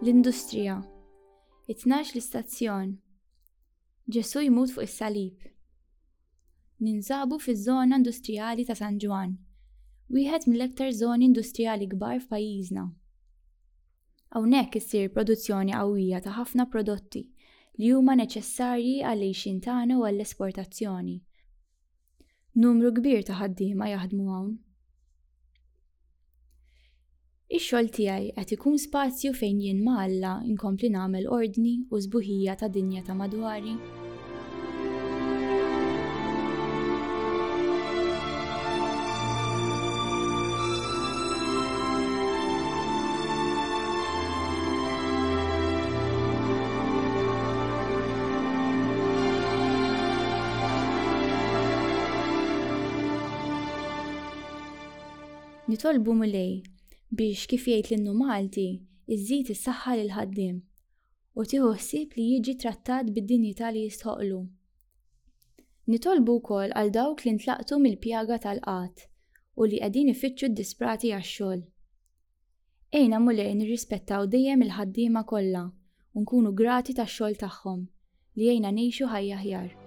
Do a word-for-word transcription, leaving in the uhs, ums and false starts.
L-industrija. It-tnax l-istazzjon. Ġesù jmut fuq is-salib. Ninsabu fiż-żona industrijali ta' San Ġwann, wieħed mill-aktar żoni industrijali kbar f'pajjiżna. Hawnhekk issir produzzjoni qawwija ta' ħafna prodotti li huma neċessarji għall-għixien tagħna u għall-esportazzjoni. Numru kbir ta' ħaddiema jaħdmu hawn. Ix-xogħol tiegħi qed ikun spazju fejn jien ma' Alla nkompli nagħmel ordni u sbuħija ta' dinja ta' madwari? Nitolbu Mulej biex kif jgħid l-innu Malti, iżżid is-saħħa lill-ħaddiem u tieħu ħsieb li jiġi trattat bid-dinjità li jistħoqlu. Nitolbu wkoll għal dawk li ntlaqtu mill-pjaga tal-qgħad u li qegħdin ifittxu ddisprati għax-xogħol. Għinna Mulej nirrispettaw dejjem il-ħaddiema kollha u nkunu grati tax-xogħol tagħhom li jgħinna ngħixu ħajja aħjar.